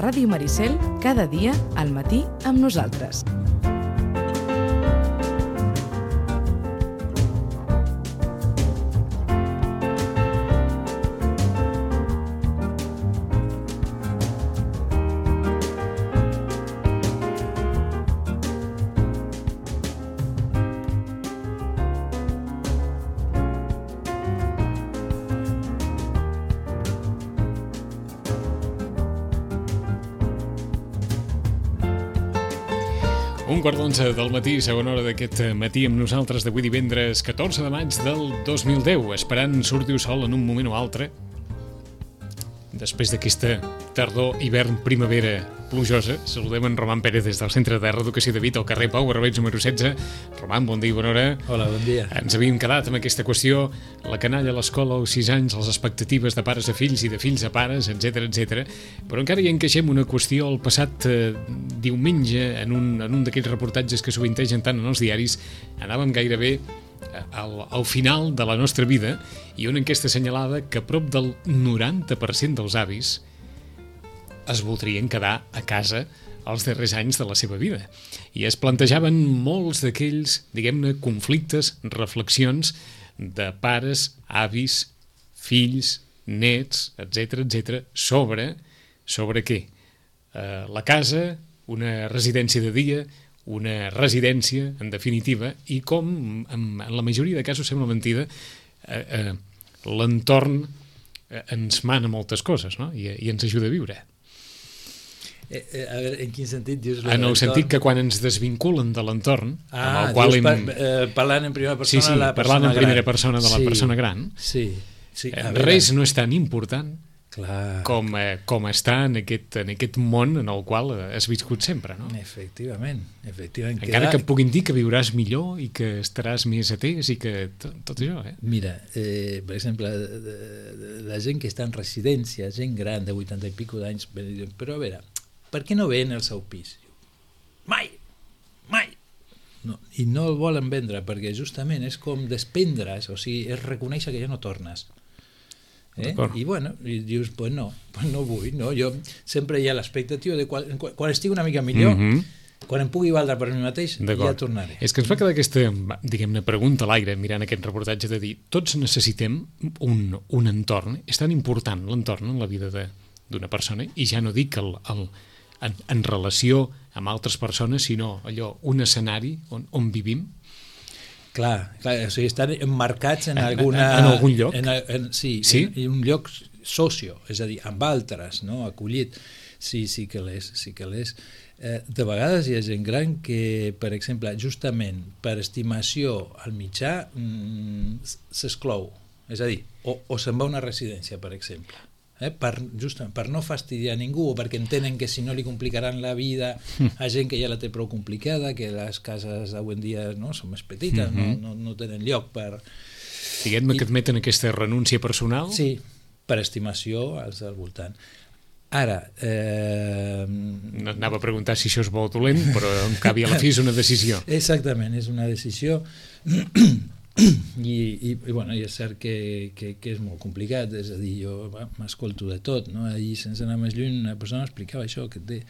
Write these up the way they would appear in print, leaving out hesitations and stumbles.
Ràdio Maricel, cada dia al matí amb nosaltres. Un quart d'11 del matí, segona hora d'aquest matí amb nosaltres d'avui divendres 14 de maig del 2010, esperant sortir el sol en un moment o altre després d'aquesta tardor, hivern, primavera plujosa. Saludem en Roman Pérez des del Centre de Reeducació de Vit al carrer Pau Barberets número 16. Roman, bon dia i bona hora. Hola, bon dia. Ens havíem quedat amb aquesta qüestió, la canalla a l'escola als 6 anys, les expectatives de pares a fills i de fills a pares, etc. Però encara hi encaixem una qüestió. El passat diumenge, en un d'aquests reportatges que sovintegen tant en els diaris, anàvem gairebé al final de la nostra vida, i una enquesta assenyalava que prop del 90% dels avis es voldrien quedar a casa els darrers anys de la seva vida. I es plantejaven molts d'aquells, diguem-ne, conflictes, reflexions de pares, avis, fills, nets, etc., sobre què? La casa, una residència de dia, una residència, en definitiva, i com, en la majoria de casos, sembla mentida, l'entorn ens mana moltes coses, no? I ens ajuda a viure. A veure, en quin sentit dius? En el sentit que quan ens desvinculen de l'entorn, amb el qual parlant en primera persona de la persona gran. parlant en primera persona de la persona gran, res no és tan important com estar en aquest món en el qual has viscut sempre, no? Efectivament. Encara que et puguin dir que viuràs millor i que estaràs més atès i que tot això, Mira, per exemple, la gent que està en residència, gent gran de 80 i pico d'anys, però a veure, per què no ven el seu pis? Mai! No, i no el volen vendre perquè justament és com desprendre's, o sigui, és reconèixer que ja no tornes. I bueno, i dius, pues no vull, no? Jo sempre hi ha l'expectativa de quan estigui una mica millor, quan em pugui valdre per mi mateix, ja tornaré. És que ens va quedar aquesta, diguem-ne, pregunta a l'aire mirant aquest reportatge de dir, tots necessitem un entorn, és tan important l'entorn en la vida d'una persona, i ja no dic en relació amb altres persones, sinó allò, un escenari on vivim. Clar, o sigui, estan emmarcats en algun lloc. Sí, en un lloc socio, és a dir, amb altres, no? Acollit. Sí que l'és. De vegades hi ha gent gran que, per exemple, justament per estimació al mitjà s'exclou, és a dir, o se'n va a una residència, per exemple, per no fastidiar ningú, o perquè entenen que si no li complicaran la vida a gent que ja la té prou complicada, que les cases d'avui en dia són més petites, no tenen lloc per... Diguem-me que admeten aquesta renúncia personal? Sí, per estimació als al voltant. Ara... No anava a preguntar si això és bo o dolent, però en canvi a la fi és una decisió. Exactament, és una decisió... I bueno, és cert que és molt complicat, és a dir, jo m'escolto de tot, no? Ahir, sense anar més lluny, una persona explicava això, que té,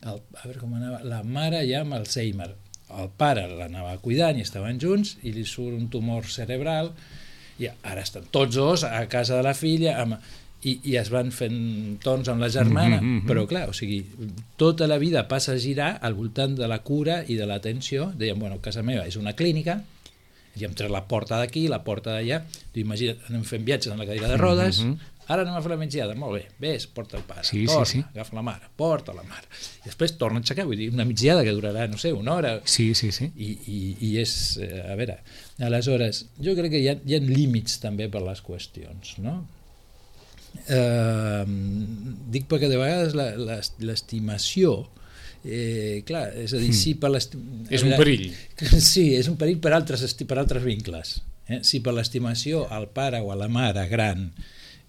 a veure com anava, la mare ja amb Alzheimer, el pare l'anava cuidant i estaven junts i li surt un tumor cerebral i ara estan tots dos a casa de la filla i es van fent torns amb la germana, però clar, o sigui, tota la vida passa a girar al voltant de la cura i de l'atenció. Dèiem, bueno, casa meva és una clínica, i hem tret la porta d'aquí, la porta d'allà, imagina't, anem fent viatges en la cadira de rodes, ara anem a fer la migdiada, molt bé, ves, porta el pare, torna, agafa la mare, porta la mare, i després torna a aixecar, vull dir, una migdiada que durarà, no sé, una hora. Sí. I és, a veure, aleshores, jo crec que hi ha límits també per les qüestions, no? Dic perquè de vegades l'estimació, clar, és a dir, sí, per és un perill. Sí, és un perill per altres vincles. Si per l'estimació al pare o a la mare gran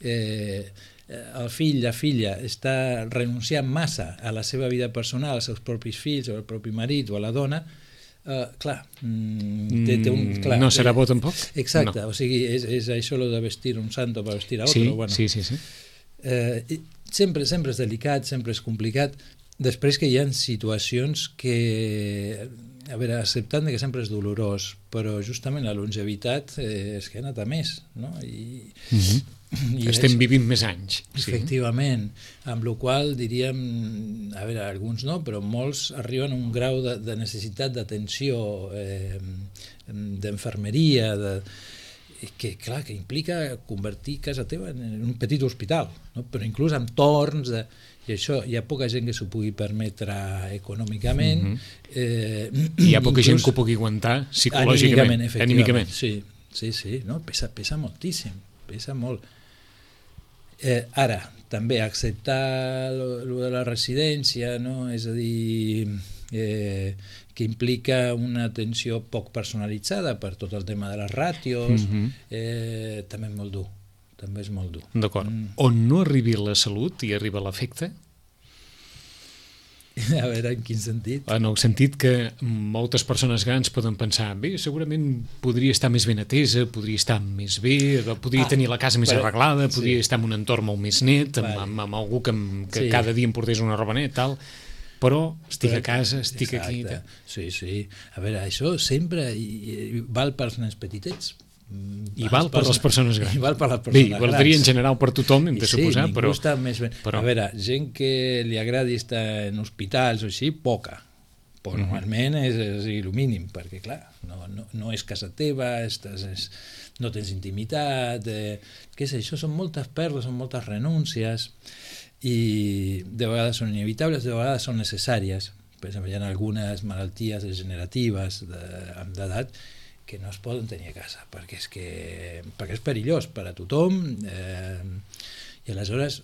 el fill, la filla està renunciant massa a la seva vida personal, als seus propis fills o al propi marit o a la dona, clar, no serà bo tampoc? Exacte, o sigui, és això de vestir un santo per vestir a otro. Sí. sempre és delicat, sempre és complicat. Després que hi ha situacions que, a veure, acceptant que sempre és dolorós, però justament la longevitat és que ha anat a més, no? I estem vivint més anys. Efectivament, amb la qual diríem, a veure, alguns no, però molts arriben a un grau de necessitat d'atenció, d'infermeria, que clar, que implica convertir casa teva en un petit hospital, no? Però inclús amb torns i això hi ha poca gent que s'ho pugui permetre econòmicament, i hi ha poca gent que ho pugui aguantar psicològicament, anímicament. Sí, no? Pesa moltíssim, pesa molt. Ara, també acceptar lo de la residència, no? És a dir, que implica una atenció poc personalitzada per tot el tema de les ràtios, també és molt dur. D'acord. On no arribi la salut i arriba l'afecte? A veure, en quin sentit? En el sentit que moltes persones grans poden pensar, bé, segurament podria estar més ben atesa, podria estar més bé, podria tenir la casa més arreglada, podria estar en un entorn molt més net, amb algú que cada dia em portés una roba net, tal, però estic a casa, estic aquí. Sí. A veure, això sempre val pels nens petitets, i val per les persones grans. I val per les persones grans. Valdria en general per tothom, hem de suposar, però... Sí, ningú està més ben... A veure, gent que li agradi estar en hospitals o així, poca. Però normalment és el mínim, perquè clar, no és casa teva, no tens intimitat, què sé, això són moltes pèrdues, són moltes renúncies, i de vegades són inevitables, de vegades són necessàries. Per exemple, hi ha algunes malalties degeneratives d'edat que no es poden tenir a casa, perquè és perillós per a tothom, i aleshores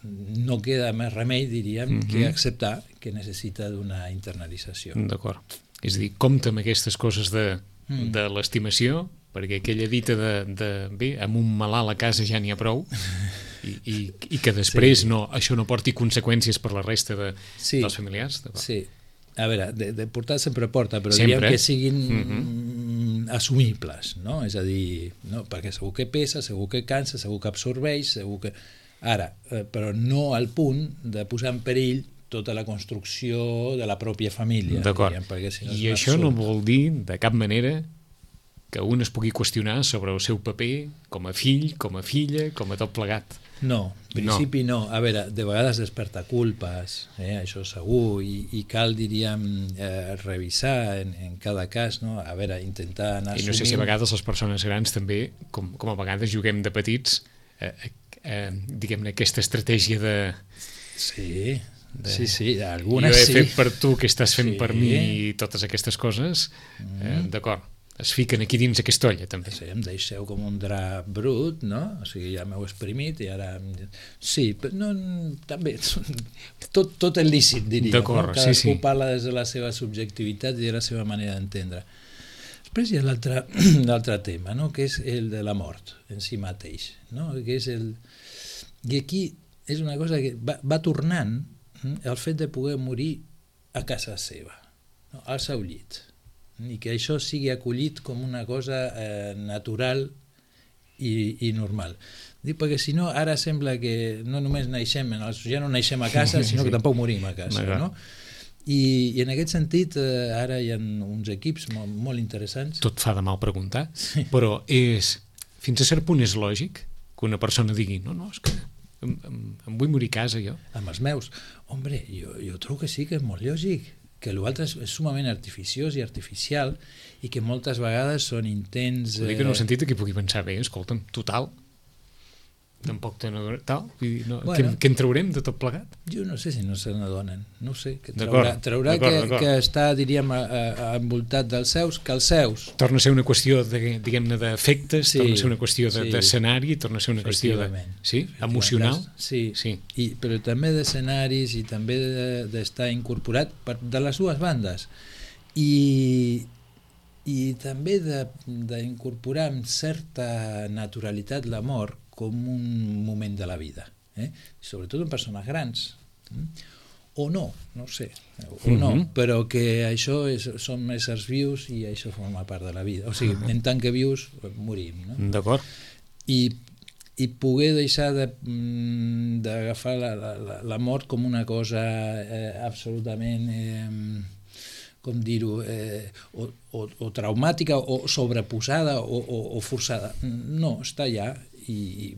no queda més remei, diríem, que acceptar que necessita d'una internalització. D'acord. És a dir, compta amb aquestes coses de l'estimació, perquè aquella dita de bé, amb un malalt a casa ja n'hi ha prou, i que després això no porti conseqüències per la resta dels familiars. Sí. A veure, de portar sempre porta, però diem que siguin assumibles, no? És a dir, no? Perquè segur que pesa, segur que cansa, segur que absorbeix, segur que... Ara, però no al punt de posar en perill tota la construcció de la pròpia família. D'acord. I això no vol dir, de cap manera, que un es pugui qüestionar sobre el seu paper com a fill, com a filla, com a tot plegat. No, en principi no. A veure, de vegades desperta culpes, això segur, i cal, diríem, revisar en cada cas, no? A veure, intentar anar assumint... I no sé si a vegades les persones grans també, com a vegades juguem de petits, diguem-ne, aquesta estratègia de... Sí, algunes sí. Jo he fet per tu, que estàs fent per mi, i totes aquestes coses, d'acord. Es fiquen aquí dins aquesta olla, també. Sí, em deixeu com un drap brut, no? O sigui, ja m'heu exprimit i ara... Sí, però no, també, tot és lícit, diria. D'acord, no? Cadascú parla des de la seva subjectivitat i de la seva manera d'entendre. Després hi ha l'altre tema, no? Que és el de la mort en si mateix, no? Que és I aquí és una cosa que va tornant el fet de poder morir a casa seva, no? Al seu llit, i que això sigui acollit com una cosa natural i normal. Dic, perquè si no, ara sembla que no només ja no naixem a casa, sinó que tampoc morim a casa, no? I en aquest sentit, ara hi ha uns equips molt interessants. Tot fa de mal preguntar, però fins a cert punt és lògic que una persona digui, no, és que em vull morir a casa, jo. Amb els meus. Hombre, jo trobo que sí, que és molt lògic, que l'altre és sumament artificiós i artificial i que moltes vegades són intents... Ho dic en el sentit que pugui pensar, bé, escolta'm, total, tampoc te n'adonen, bueno, què en traurem de tot plegat? Jo no sé si no se n'adonen, no sé, que traurà que està, diríem, envoltat dels seus, que els seus... Torna a ser una qüestió, diguem-ne, d'efectes, torna a ser una qüestió d'escenari, torna a ser una qüestió emocional. Sí, però també d'escenaris i també d'estar incorporat de les dues bandes. I també d'incorporar amb certa naturalitat la mort com un moment de la vida, sobretot en persones grans, o no sé, però que això són éssers vius i això forma part de la vida, o sigui, en tant que vius morim, no? D'acord. I i poder deixar d'agafar la mort com una cosa absolutament, com dir-ho, o traumàtica, o sobreposada, o forçada. No, està allà, i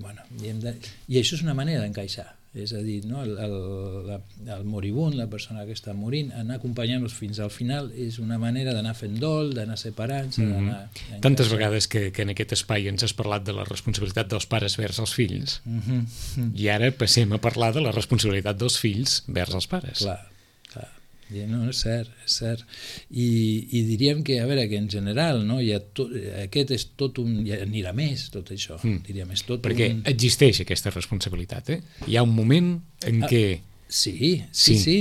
això és una manera d'encaixar. És a dir, no? El moribund, la persona que està morint, anar acompanyant-los fins al final és una manera d'anar fent dol, d'anar separant-se, d'anar... Tantes vegades que en aquest espai ens has parlat de la responsabilitat dels pares vers els fills, i ara passem a parlar de la responsabilitat dels fills vers els pares. Clar. No, és cert. I diríem que, a veure, que en general, no, aquest és tot un... anirà més, tot això. Diríem, és tot perquè existeix aquesta responsabilitat, Hi ha un moment en què... Sí.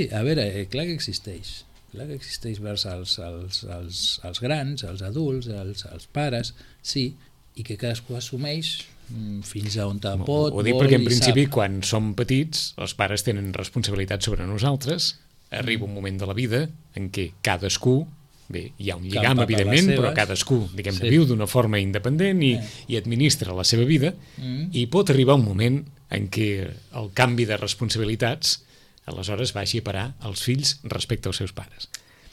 A veure, clar que existeix. Clar que existeix vers els grans, els adults, els pares, sí, i que cadascú assumeix fins a on pot, ho dic perquè en principi quan som petits els pares tenen responsabilitat sobre nosaltres. Arriba un moment de la vida en què cadascú, bé, hi ha un lligam evidentment, però cadascú, diguem-ne, viu d'una forma independent i administra la seva vida, i pot arribar un moment en què el canvi de responsabilitats aleshores vagi a parar als fills respecte als seus pares.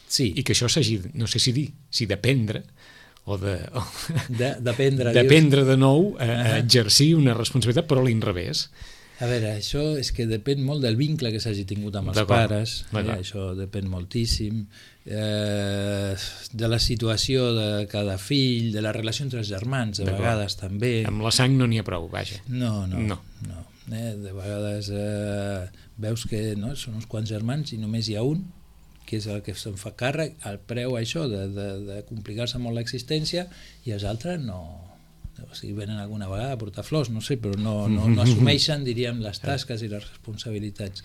Sí. I que això s'hagi, no sé si d'aprendre o d'aprendre de nou a exercir una responsabilitat, però a l'inrevés. A veure, això és que depèn molt del vincle que s'hagi tingut amb els pares, això depèn moltíssim, de la situació de cada fill, de la relació entre els germans, de vegades també. Amb la sang no n'hi ha prou, vaja. No. De vegades veus que són uns quants germans i només hi ha un, que és el que se'n fa càrrec, al preu això de complicar-se molt l'existència, i els altres no... O sigui, venen alguna vegada a portar flors, no sé, però no assumeixen, diríem, les tasques i les responsabilitats.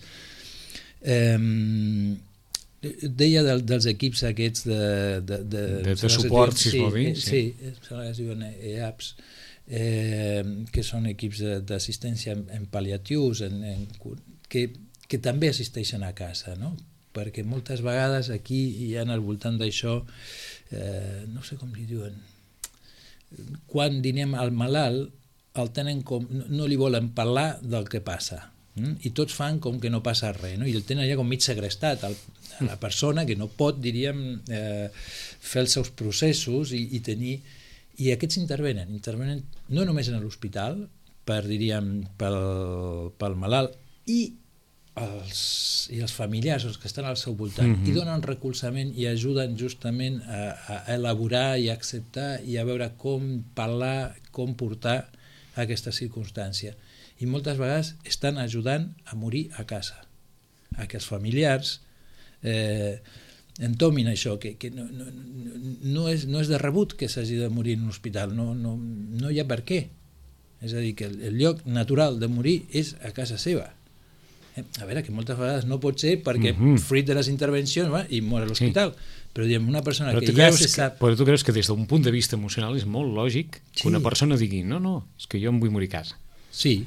Deia dels equips aquests de suport, si es vol dir. Sí, es diuen EAPs, que són equips d'assistència en pal·liatius, que també assisteixen a casa, no? Perquè moltes vegades aquí hi ha al voltant d'això, no sé com li diuen, quan dinem al malalt el tenen com, no li volen parlar del que passa, i tots fan com que no passa res, no? I el tenen allà com mig segrestat a la persona que no pot, diríem, fer els seus processos i tenir... I aquests intervenen no només en l'hospital, diríem, pel malalt, i els familiars, els que estan al seu voltant, i donen recolzament i ajuden justament a elaborar i a acceptar i a veure com parlar, com portar aquesta circumstància. I moltes vegades estan ajudant a morir a casa, a que els familiars entomin això, que no és de rebut que s'hagi de morir en un hospital, no hi ha per què. És a dir, que el lloc natural de morir és a casa seva. A veure, que moltes vegades no pot ser perquè fruit de les intervencions i mor a l'hospital, però diguem, una persona que ja se sap... Però tu creus que des d'un punt de vista emocional és molt lògic que una persona digui no, és que jo em vull morir a casa. Sí.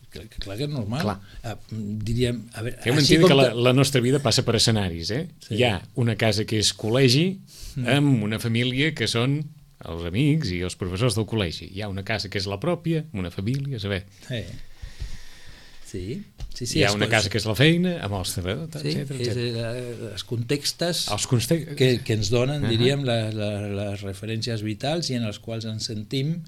Clar que és normal. Diríem, a veure... Heu entès que la nostra vida passa per escenaris, Hi ha una casa que és col·legi amb una família que són els amics i els professors del col·legi. Hi ha una casa que és la pròpia, una família, a saber... Sí, hi ha una casa que és la feina, amb els treballadors, etcètera. Els contextes que ens donen, diríem, les referències vitals i en els quals ens sentim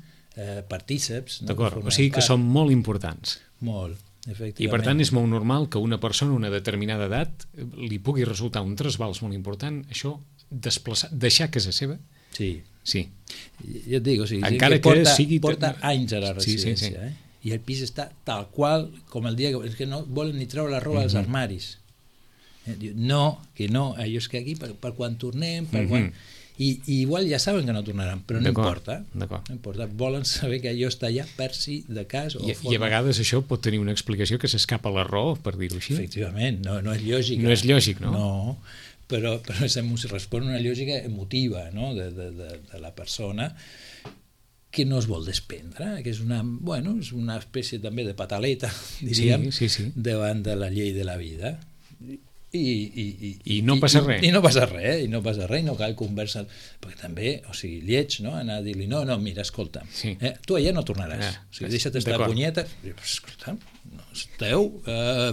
partíceps. D'acord, o sigui que són molt importants. Molt, efectivament. I per tant és molt normal que una persona a una determinada edat li pugui resultar un trasbals molt important, això, deixar casa seva? Sí. Ja et dic, o sigui, encara que porta anys a la residència, i el pis està tal qual com el dia que no volen ni treure la roba dels armaris. No, allò és que aquí per quan tornem, i igual ja saben que no tornaran, però no importa, volen saber que allò està allà per si de cas i a vegades això pot tenir una explicació que s'escapa a la raó, per dir-ho així. Efectivament, no és lògic. No és lògic, no? No, però respon una lògica emotiva, no? de la persona, que no es vol desprendre, que és una espècie també de pataleta, diríem, davant de la llei de la vida. I no passa res. I no passa res, i no cal conversar, perquè també, o sigui, lleig, no? Anar a dir-li, no, mira, escolta, tu allà no tornaràs, o sigui, deixa't estar punyeta, escolta, no esteu,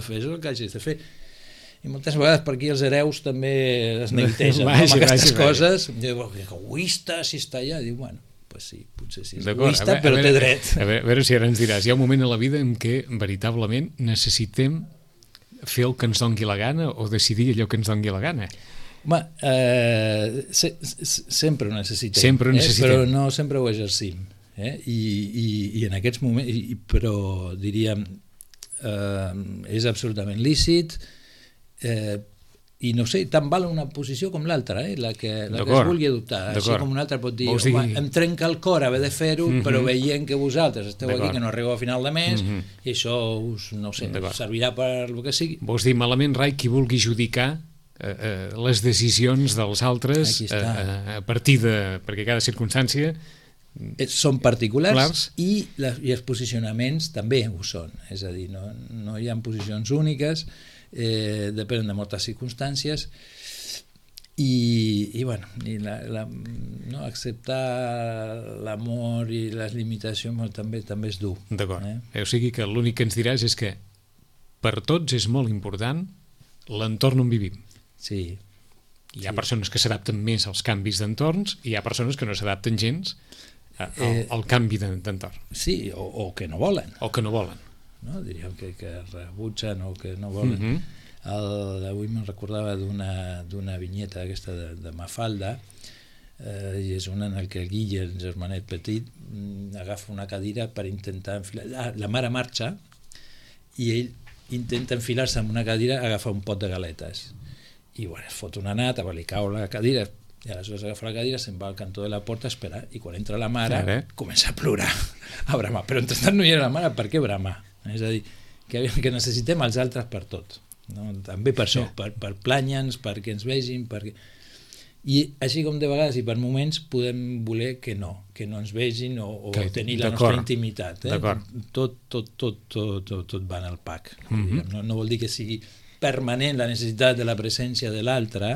fes el que hagis de fer. I moltes vegades per aquí els hereus també es neguitegen amb aquestes coses. Diu, egoista, si està allà. Diu, bueno, pues sí, potser sí és egoista, però té dret. A veure si ara ens diràs, hi ha un moment a la vida en què veritablement necessitem fer el que ens doni la gana o decidir allò que ens doni la gana. Home, sempre ho necessitem. Sempre ho necessitem. Però no sempre ho exercim. I en aquests moments, però diríem, és absolutament lícit, i no sé, tant val una posició com l'altra, la que es vulgui adoptar, així com una altra pot dir, em trenca el cor haver de fer-ho, però veient que vosaltres esteu aquí, que no arribeu a final de mes, i això us, no sé, servirà per el que sigui. Vols dir malament, Rai, qui vulgui judicar les decisions dels altres a partir de... perquè cada circumstància són particulars i els posicionaments també ho són, és a dir, no hi ha posicions úniques, depenen de moltes circumstàncies i bueno, acceptar l'amor i les limitacions també és dur. D'acord, o sigui que l'únic que ens diràs és que per tots és molt important l'entorn on vivim. Sí. Hi ha persones que s'adapten més als canvis d'entorns i hi ha persones que no s'adapten gens al canvi d'entorn. Sí, o que no volen. O que no volen. No? Diríem que rebutgen o que no volen. Avui me'n recordava d'una vinyeta aquesta de Mafalda, i és una en què el Guille, el germanet petit, agafa una cadira per intentar enfilar... La mare marxa i ell intenta enfilar-se en una cadira, agafa un pot de galetes i bueno, es fot una nata, li cau la cadira i aleshores agafa la cadira, se'n va al cantó de la porta a esperar i quan entra la mare comença a plorar, a bramar, però entretant no hi era la mare, per què bramar? És a dir, que necessitem els altres per tot, no? També per això, per planya'ns, perquè ens vegin, i així com de vegades i per moments podem voler que no ens vegin o tenir la nostra intimitat. Tot va en el pack. No vol dir que sigui permanent la necessitat de la presència de l'altre,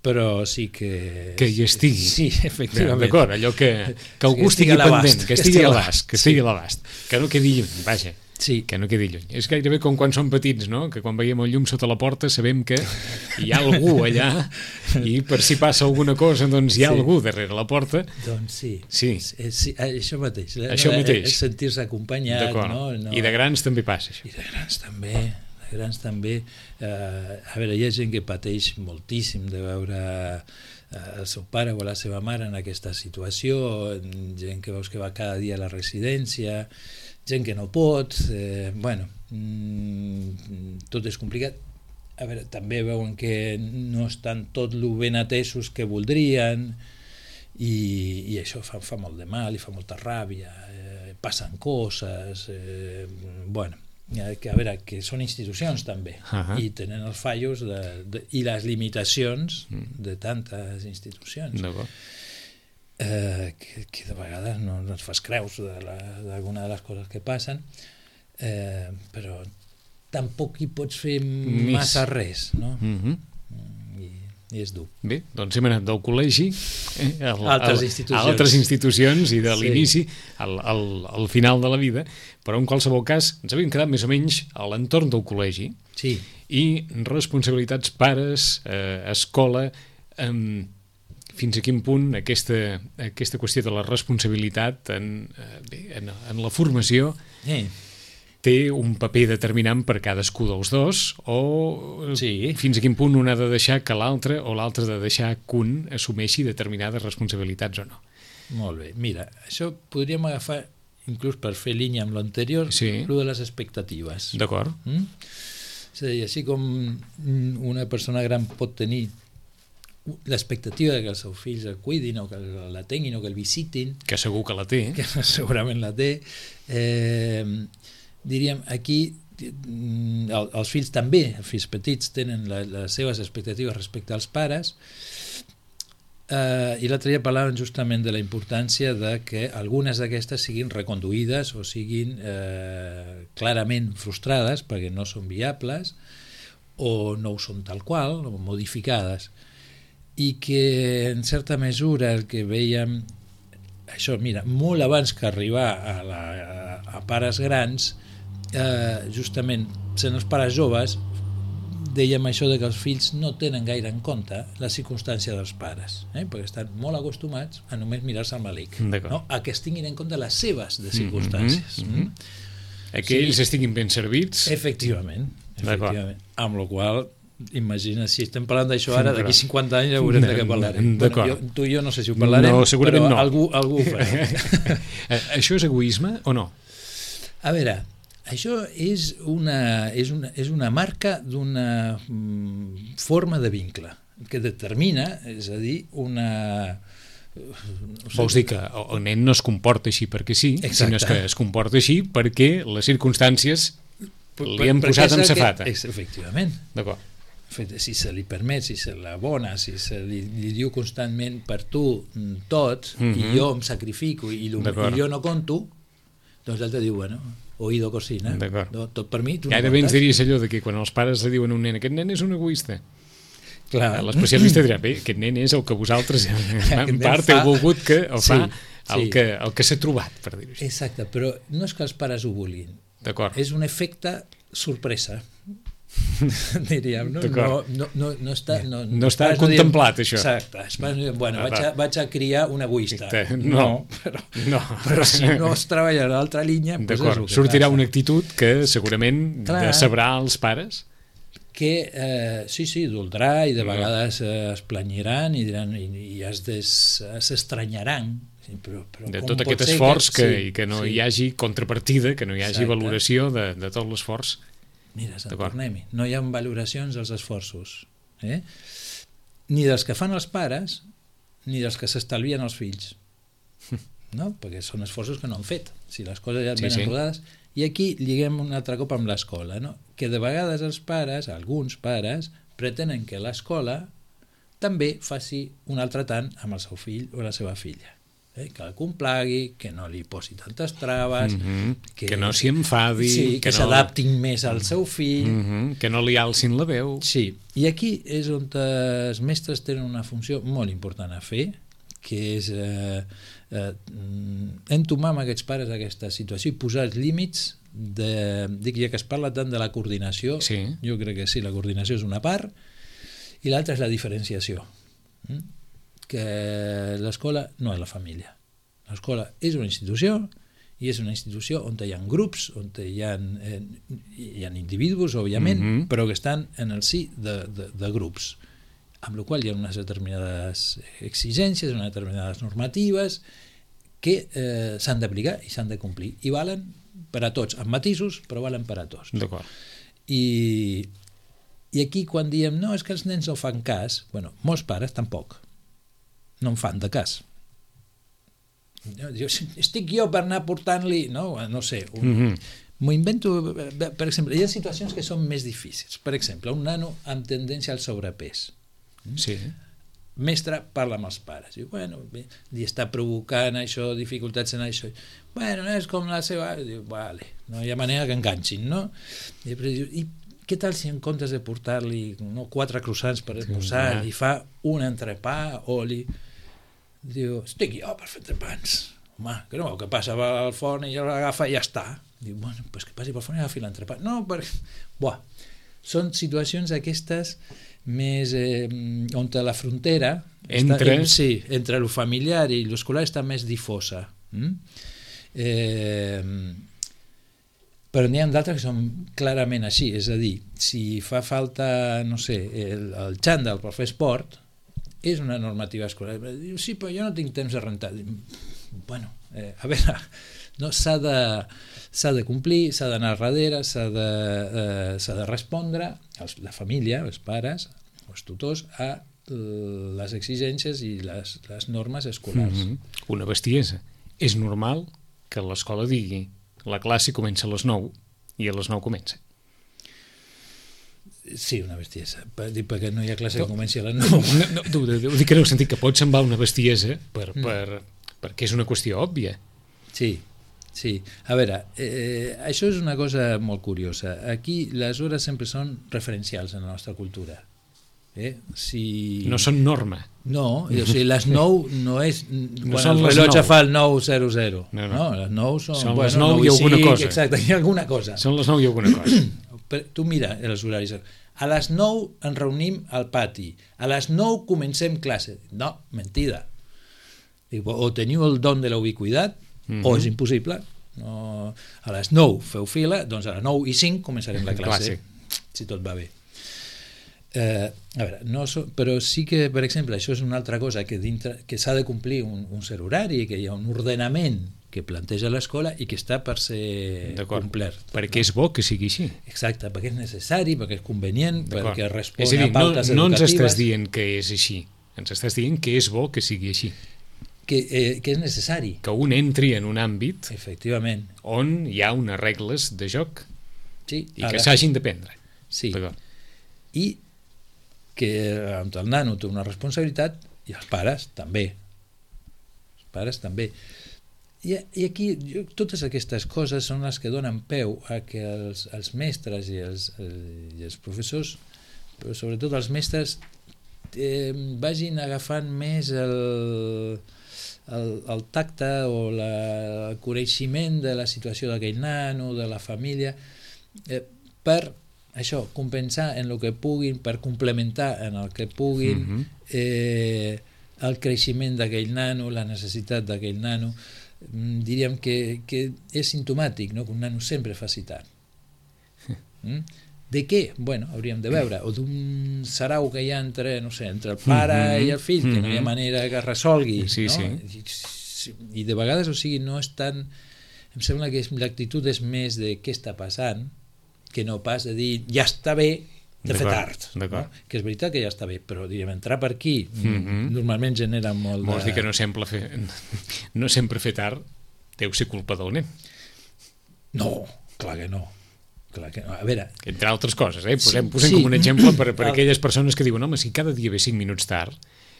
però sí que... Que hi estigui. Sí, efectivament. D'acord, allò que algú estigui pendent, que estigui a l'abast, que no quedi lluny, vaja. Sí. Que no quedi lluny. És gairebé com quan som petits, no? Que quan veiem el llum sota la porta sabem que hi ha algú allà i per si passa alguna cosa doncs hi ha algú darrere la porta. Doncs sí. Això mateix. Això mateix. És sentir-se acompanyat. I de grans també passa això. I de grans també. A veure, hi ha gent que pateix moltíssim de veure el seu pare o la seva mare en aquesta situació, gent que veus que va cada dia a la residència, gent que no pot, tot és complicat. A veure, també veuen que no estan tot lo ben atesos que voldrien i això fa molt de mal i fa molta ràbia, passen coses, que a veure, que són institucions també i tenen els fallos i les limitacions de tantes institucions. Que de vegades no et fas creus d'alguna de les coses que passen, però tampoc hi pots fer massa res, no? I és dur. Bé, doncs hem anat del col·legi a altres institucions i de l'inici al final de la vida, però en qualsevol cas ens havíem quedat més o menys a l'entorn del col·legi i responsabilitats pares, escola, fins a quin punt aquesta qüestió de la responsabilitat en la formació té un paper determinant per cadascú dels dos o fins a quin punt un ha de deixar que l'altre o l'altre ha de deixar que un assumeixi determinades responsabilitats o no. Molt bé, mira, això podríem agafar inclús per fer línia amb l'anterior, lo de les expectatives. D'acord. És a dir, així com una persona gran pot tenir l'expectativa de que els seus fills el cuidin o que la tinguin o que el visitin, que segur que la té, que segurament la té, diríem, aquí els fills també, els fills petits tenen les seves expectatives respecte als pares, i l'altre dia parlàvem justament de la importància de que algunes d'aquestes siguin reconduïdes o siguin clarament frustrades perquè no són viables o no ho són tal qual, o modificades, i que en certa mesura el que veiem, això, mira, molt abans que arribar a pares grans, justament sent els pares joves, dèiem això de que els fills no tenen gaire en compte la circumstància dels pares, perquè estan molt acostumats a només mirar-se el malic, no? A que es tinguin en compte les seves de circumstàncies. A que ells estiguin ben servits. Efectivament. Amb la qual imagina, si estem parlant d'això ara, d'aquí 50 anys ja veurem de què parlarem. Tu i jo no sé si ho parlarem, però algú ho farà. Això és egoisme o no? A veure, això és una marca d'una forma de vincle que determina, és a dir, una... Vols dir que el nen no es comporta així perquè sí, sinó que es comporta així perquè les circumstàncies li han posat amb safata. Efectivament. D'acord. Si se li permet, si se l'abona, si se li diu constantment per tu tot, i jo em sacrifico i jo no conto, doncs l'altre diu, bueno, oído cocina, tot per mi, tu no contes. Gairebé ens diries allò de que quan els pares li diuen a un nen, aquest nen és un egoista. Clar. L'especialista dirà, bé, aquest nen és el que vosaltres en part heu volgut que el fa el que s'ha trobat, per dir-ho així. Exacte, però no és que els pares ho vulguin. D'acord. És un efecte sorpresa, diríem, no? No està contemplat, això. Exacte. Bueno, vaig a criar un egoista. Però si no es treballa a l'altra línia... D'acord, sortirà una actitud que segurament decebrà els pares? Que sí, d'oldrar, i de vegades es planyiran i diran, i s'estranyaran de tot aquest esforç i que no hi hagi contrapartida, que no hi hagi valoració de tot l'esforç. Mira, Sant Tornem-hi, no hi ha valoracions als esforços, ni dels que fan els pares ni dels que s'estalvien els fills, no? Perquè són esforços que no han fet, si les coses ja venen rodades. I aquí lliguem un altre cop amb l'escola, no? Que de vegades els pares, alguns pares, pretenen que l'escola també faci un altre tant amb el seu fill o la seva filla. Que el complagui, que no li posi tantes traves, que no s'hi enfadi, que s'adaptin més al seu fill, que no li alcin la veu. Sí, i aquí és on els mestres tenen una funció molt important a fer, que és entomar amb aquests pares aquesta situació i posar els límits dic, ja que es parla tant de la coordinació, jo crec que sí, la coordinació és una part i l'altra és la diferenciació, que l'escola no és la família, l'escola és una institució i és una institució on hi ha grups, on hi ha individus, òbviament, però que estan en el si de grups, amb la qual hi ha unes determinades exigències, unes determinades normatives que s'han d'aplicar i s'han de complir, i valen per a tots, amb matisos, però valen per a tots. D'acord. I aquí quan diem, no, és que els nens no fan cas, bueno, molts pares tampoc no en fan de cas. Estic jo per anar portant-li, no sé, m'ho invento, per exemple, hi ha situacions que són més difícils. Per exemple, un nano amb tendència al sobrepès. Sí. Mestre parla amb els pares, diu, bueno, li està provocant això, dificultats en això, bueno, és com la seva, diu, vale, no hi ha manera que enganxin, no? I què tal si en comptes de portar-li 4 croissants per esmorzar, li fa un entrepà o li diu, estic jo per fer entrepans, home, que no, que passa al forn i ja l'agafa i ja està. Diu, bueno, doncs que passi pel forn i agafi l'entrepà. No, perquè... Són situacions aquestes més on la frontera entre el familiar i l'escolar està més difosa. Però n'hi ha d'altres que són clarament així, és a dir, si fa falta, no sé, el xandall per fer esport, és una normativa escolar. Diu, sí, però jo no tinc temps de rentar. Bueno, a veure, no, s'ha de complir, s'ha d'anar darrere, s'ha de respondre la família, els pares, els tutors, a les exigències i les normes escolars. Una bestiesa. És normal que l'escola digui la classe comença a les 9 i a les 9 comença. Sí, una bestiesa. Perquè no hi ha classe que comenci a les 9. No, dic que en el sentit que pot semblar una bestiesa perquè és una qüestió òbvia. Sí, Sí, a veure, això és una cosa molt curiosa. Aquí les hores sempre són referencials en la nostra cultura. No són norma. No, o sigui, les 9 no és quan el rellotge fa el 9:00. No, les 9 són les 9 i alguna cosa. Exacte, hi ha alguna cosa. Són les 9 i alguna cosa. Tu mira els horaris. A les 9 ens reunim al pati. A les 9 comencem classe. No, mentida. O teniu el don de la ubiquitat o és impossible. No, a les 9 feu fila, doncs a les 9:05 començarem la classe. Si tot va bé. A veure, però sí que, per exemple, això és una altra cosa que s'ha de complir un cert horari, que hi ha un ordenament que planteja l'escola i que està per ser complert. Perquè és bo que sigui així. Exacte, perquè és necessari, perquè és convenient, perquè respon a pautes educatives. No ens estàs dient que és així, ens estàs dient que és bo que sigui així. Que és necessari. Que un entri en un àmbit on hi ha unes regles de joc i que s'hagin de prendre. Sí, i que el nano té una responsabilitat i els pares també. I aquí totes aquestes coses són les que donen peu a que els mestres i els professors, però sobretot els mestres, vagin agafant més el tacte o el coneixement de la situació d'aquell nano, de la família, per això, compensar en el que puguin, per complementar en el que puguin el creixement d'aquell nano, la necessitat d'aquell nano. Diríem que és simptomàtic, no?, que un nano sempre faci tard. De què? Bueno, hauríem de veure. O d'un sarau que hi ha entre el pare i el fill, que no hi ha manera que es resolgui. I de vegades, o sigui, no és tan... Em sembla que l'actitud és més de què està passant, que no pas de dir ja està bé de fer tard, no? Que és veritat que ja està bé, però diríem, entrar per aquí normalment genera molt de... Vols dir que no sempre fer tard deu ser culpa del nen? No, clar que no. A veure... Entre altres coses, posem com un exemple per aquelles persones que diuen, home, si cada dia ve 5 minuts tard,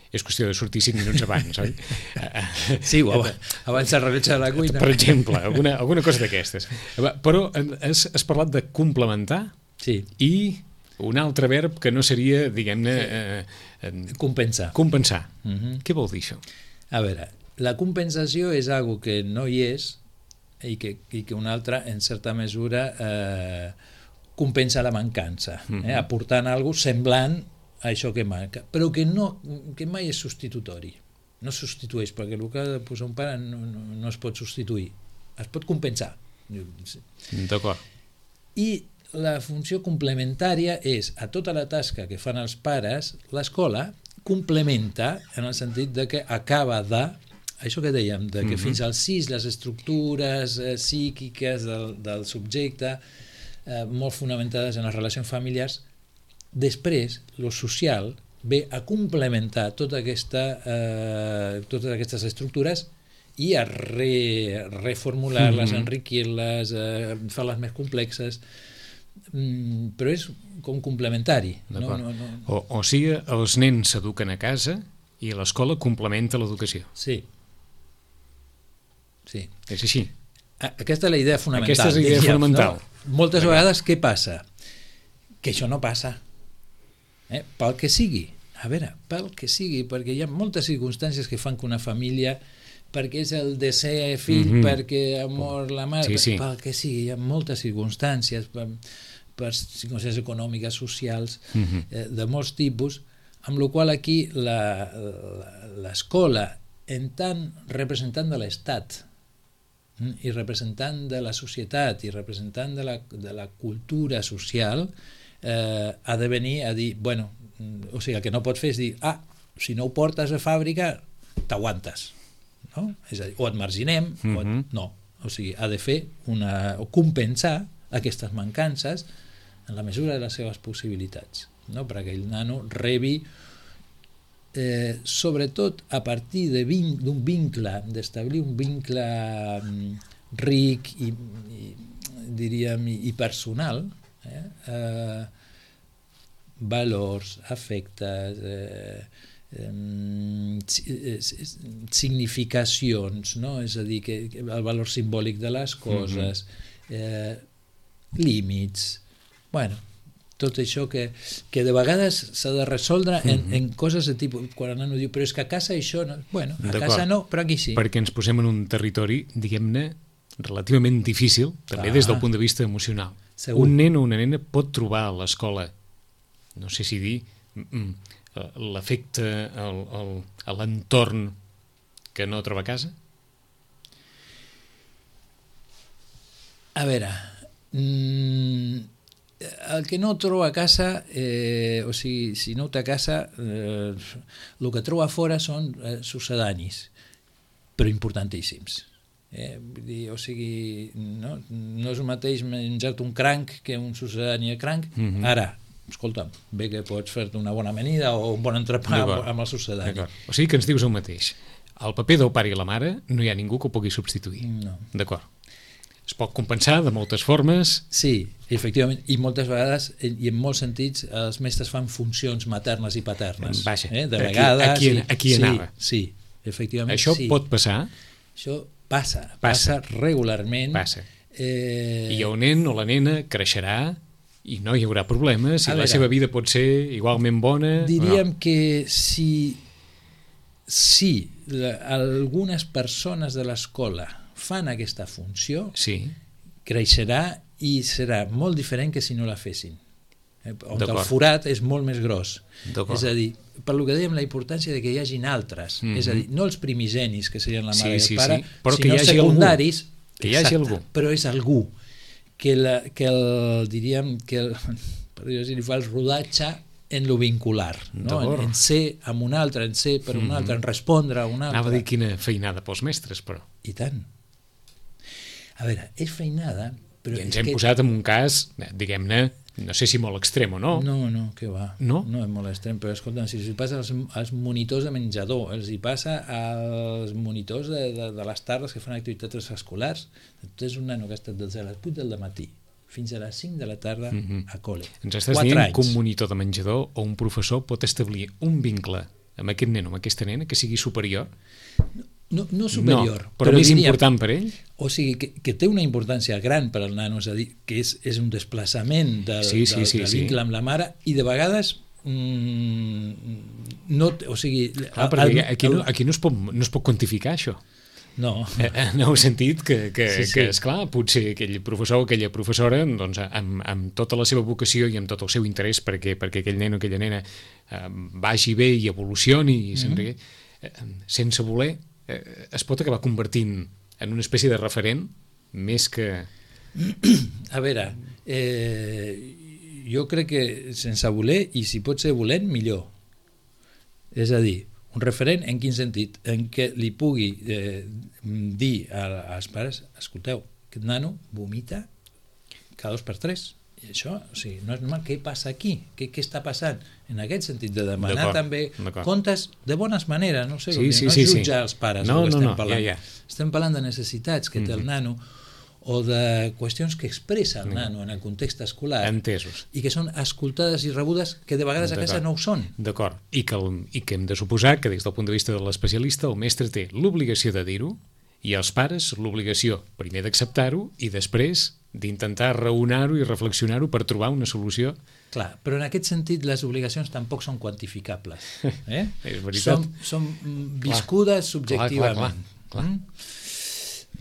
és qüestió de sortir 5 minuts abans, oi? Sí, abans el rellotge de la cuina. Per exemple, alguna cosa d'aquestes. Però has parlat de complementar i un altre verb que no seria, diguem-ne... Compensar. Compensar. Què vol dir això? A veure, la compensació és algo que no hi és i que una altra, en certa mesura, compensa la mancança, aportant alguna cosa semblant a això que manca, però que mai és substitutori. No substitueix, perquè el que ha de posar un pare no es pot substituir, es pot compensar. D'acord. I la funció complementària és, a tota la tasca que fan els pares, l'escola complementa en el sentit de que acaba de, això que dèiem, de que fins als 6 les estructures psíquiques del subjecte, molt fonamentades en les relacions familiars, després, lo social ve a complementar totes aquestes estructures i a reformular-les, enriquir-les, fer-les més complexes, però és com complementari. O sigui, els nens s'eduquen a casa i l'escola complementa l'educació. Sí. És així. Aquesta és la idea fonamental. Aquesta és la idea fonamental. Moltes vegades què passa? Que això no passa. Pel que sigui, perquè hi ha moltes circumstàncies que fan que una família, perquè és el desè fill, perquè ha mort la mare, pel que sigui, hi ha moltes circumstàncies, per circumstàncies econòmiques, socials, de molts tipus, amb la qual aquí l'escola, en tant representant de l'Estat i representant de la societat i representant de la cultura social, ha de venir a dir, bueno, o sigui, el que no pot fer és dir, si no ho portes a fàbrica, t'aguantes, no? És a dir, o et marginem, no, o sigui, ha de fer o compensar aquestes mancances en la mesura de les seves possibilitats, no? Perquè el nano rebi, sobretot a partir d'un vincle, d'establir un vincle ric i diríem, i personal, valors, afectes, significacions, no? És a dir, que el valor simbòlic de les coses, límits, bueno, tot això que de vegades s'ha de resoldre en coses de tipus, quan el nano diu, però és que a casa això no, bueno, a casa no, però aquí sí. Perquè ens posem en un territori, diguem-ne, relativament difícil, també des del punt de vista emocional. Segur. Un nen o una nena pot trobar a l'escola, no sé si dir, l'efecte a l'entorn que no troba a casa? A veure, el que no troba a casa, o sigui, si no ho té a casa, el que troba a fora són sucedanis, però importantíssims. Vull dir, o sigui, no és el mateix menjar-te un cranc que un sucedani de cranc. Ara, escolta'm, bé que pots fer-te una bona amanida o un bon entrepà amb el sucedani. O sigui que ens dius el mateix. El paper del pare i la mare no hi ha ningú que ho pugui substituir. No. D'acord. Es pot compensar de moltes formes. Sí, efectivament, i moltes vegades, i en molts sentits, els mestres fan funcions maternes i paternes. Vaja, de vegades... aquí anava. Sí, efectivament. Això pot passar? Això passa regularment. Passa. I el nen o la nena creixerà i no hi haurà problemes, i la seva vida pot ser igualment bona. Diríem que si algunes persones de l'escola fan aquesta funció, creixerà i serà molt diferent que si no la fessin. On el forat és molt més gros. És a dir, per lo que dèiem, la importància de que hi hagin altres. És a dir, no els primigenis, que serien la mare i el pare, sinó secundaris. Que hi hagi algú. Però és algú que diríem que per dir-ho així, li fa el rodatge en lo vincular, no? En ser amb un altre, en ser per un altre, en respondre a un altre. Anava a dir quina feinada pels mestres, però. I tant. A veure, és feinada, però... I ens hem posat en un cas, diguem-ne, no sé si molt extrem o no. No, què va. No? No és molt extrem, però escolta, si els passa als monitors de menjador, els hi passa als monitors de les tardes que fan activitats escolars. Tu és un nano que ha estat des de les 8 del matí fins a les 5 de la tarda a col·le. Ens estàs dient que un monitor de menjador o un professor pot establir un vincle amb aquest nen o amb aquesta nena que sigui superior? No superior. No, però més important per ell? O sigui, que té una importància gran per al nano, és a dir, que és un desplaçament del vincle amb la mare, i de vegades no... O sigui... perquè aquí no es pot quantificar això. No. En el sentit que esclar, potser aquell professor o aquella professora, doncs, amb tota la seva vocació i amb tot el seu interès perquè aquell nen o aquella nena vagi bé i evolucioni, sense voler, es pot acabar convertint en una espècie de referent més que... A veure, jo crec que sense voler, i si pot ser volent, millor. És a dir, un referent en quin sentit? En què li pugui dir als pares, escolteu, aquest nano vomita cada 2 per 3. I això, o sigui, no és normal. Què passa aquí? Què està passant? En aquest sentit, de demanar també comptes de bones maneres, no sé, no jutjar els pares. No, estem parlant de necessitats que té el nano o de qüestions que expressa el nano en el context escolar. Entesos. I que són escoltades i rebudes que de vegades a casa no ho són. D'acord. I que hem de suposar que des del punt de vista de l'especialista el mestre té l'obligació de dir-ho i els pares l'obligació primer d'acceptar-ho i després d'intentar raonar-ho i reflexionar-ho per trobar una solució. Clar, però en aquest sentit les obligacions tampoc són quantificables. És veritat. Són viscudes subjectivament. Clar.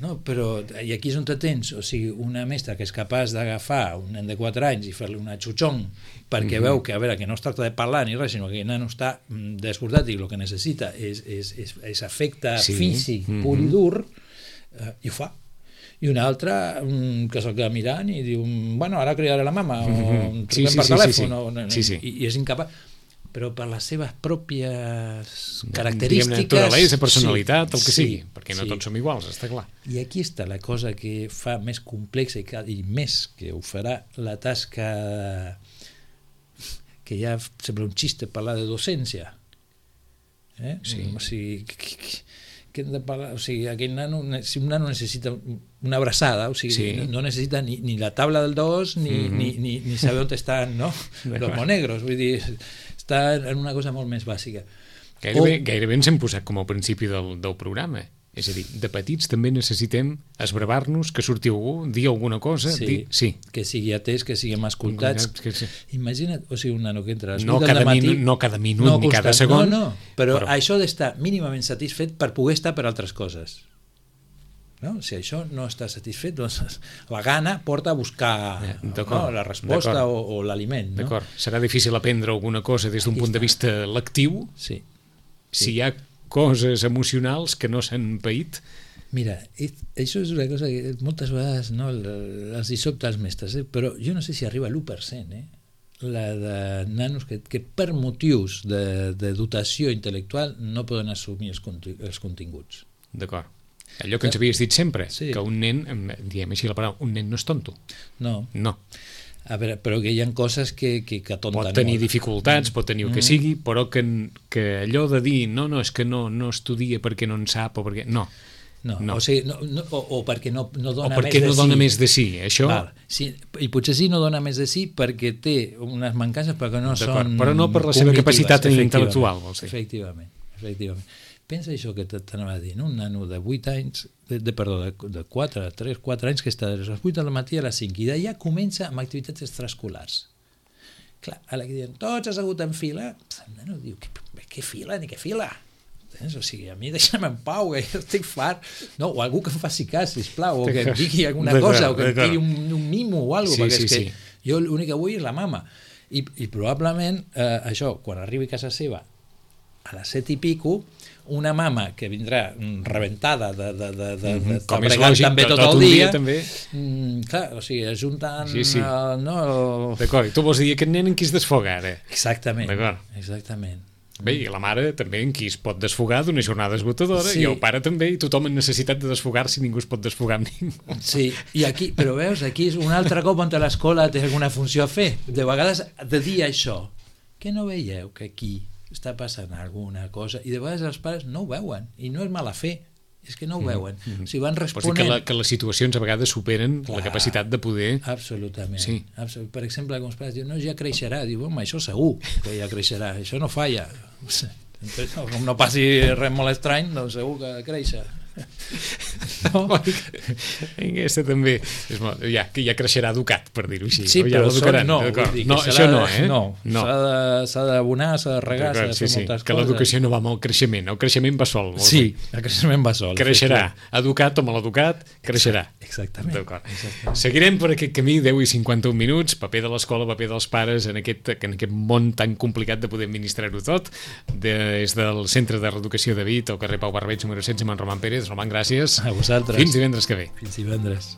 No, però, i aquí és on te tens, o sigui, una mestra que és capaç d'agafar un nen de 4 anys i fer-li una xuchong perquè veu que, a veure, que no es tracta de parlar ni res, sinó que el nano està desbordat i el que necessita és afecte físic pur i dur, i ho fa. I una altra que se'l queda mirant i diu, bueno, ara cridaré la mama o truquem per telèfon i és incapaç, però per les seves pròpies característiques... Naturalesa, personalitat, el que sigui, perquè no tots som iguals, està clar. I aquí està la cosa que fa més complexa i més que ho farà la tasca que ja sembla un xiste parlar de docència. O sigui, que hem de parlar, o sigui, aquell nano, si un nano necessita una abraçada, o sigui, no necessita ni la tabla del 2 ni saber on estan, no? Los monegros, vull dir, està en una cosa molt més bàsica. Gairebé ens hem posat com al principi del programa. És a dir, de petits també necessitem esbravar-nos, que surti algú, dir alguna cosa, sí. Que sigui atès, que siguem escoltats. Imagina't, o sigui, un nano que entra a les 8 del matí... No cada minut ni cada segon. Però això d'estar mínimament satisfet per poder estar per altres coses. No? Si això no està satisfet, doncs la gana porta a buscar la resposta o l'aliment. No? D'acord. Serà difícil aprendre alguna cosa des d'un punt de vista lectiu? Sí. Si hi ha coses emocionals que no s'han paït. Mira, això és una cosa que moltes vegades els hi sobta als mestres, però jo no sé si arriba a l'1%, la de nanos que per motius de dotació intel·lectual no poden assumir els continguts. D'acord. Allò que ens havies dit sempre, que un nen, diem així la paraula, un nen no és tonto. No. A veure, però que hi ha coses que atonten molt. Pot tenir dificultats, pot tenir el que sigui, però que allò de dir no, és que no estudia perquè no en sap o perquè... No. O sigui, o perquè no dona més de sí. O perquè no dona més de sí, això... Sí, i potser sí no dona més de sí perquè té unes mancances perquè no són... Però no per la seva capacitat intel·lectual, vols dir. Efectivament. Pensa això que t'anava a dir, un nano de 8 anys, de 4 anys, que està a les 8 del matí a les 5, i d'allà comença amb activitats extraescolars. Clar, a la que diuen, tots assegut en fila, el nano diu, què fila, ni què fila? O sigui, a mi deixa'm en pau, que jo estic fart. No, o algú que em faci cas, sisplau, o que em digui alguna cosa, o que em tiri un mimo o alguna cosa, perquè és que jo l'únic que vull és la mama. I probablement, això, quan arribi a casa seva, a les 7 i pico, una mama que vindrà rebentada de bregar també tot el dia, clar, o sigui, ajuntant... D'acord, i tu vols dir aquest nen en qui es desfoga ara? Exactament. Bé, i la mare també en qui es pot desfogar d'una jornada esgotadora, i el pare també, i tothom en necessitat de desfogar-se, ningú es pot desfogar amb ningú. Sí, i aquí, però veus, aquí és un altre cop on l'escola té alguna funció a fer. De vegades de dir això, que no veieu que aquí està passant alguna cosa, i de vegades els pares no ho veuen, i no és mala fe, és que no ho veuen. O sigui, van responent... que les situacions a vegades superen la capacitat de poder... Absolutament. Per exemple, com els pares diuen, no, ja creixerà, diu, home, això segur que ja creixerà, això no falla. Com no passi res molt estrany, doncs segur que creixer. No? Aquesta també que ja creixerà educat, per dir-ho així. Sí, però no, això no, s'ha d'abonar, s'ha de regar, s'ha de fer moltes coses. Que l'educació no va amb el creixement va sol. Sí, el creixement va sol. Creixerà, educat o maleducat, creixerà. Exactament. Seguirem per aquest camí, 10 i 51 minuts, paper de l'escola, paper dels pares en aquest món tan complicat de poder administrar-ho tot, des del Centre de Reeducació de Vic, al carrer Pau Barbeig, número 16, amb en Roman Pérez. Roman, gràcies. A vosaltres. Fins divendres que ve. Fins divendres.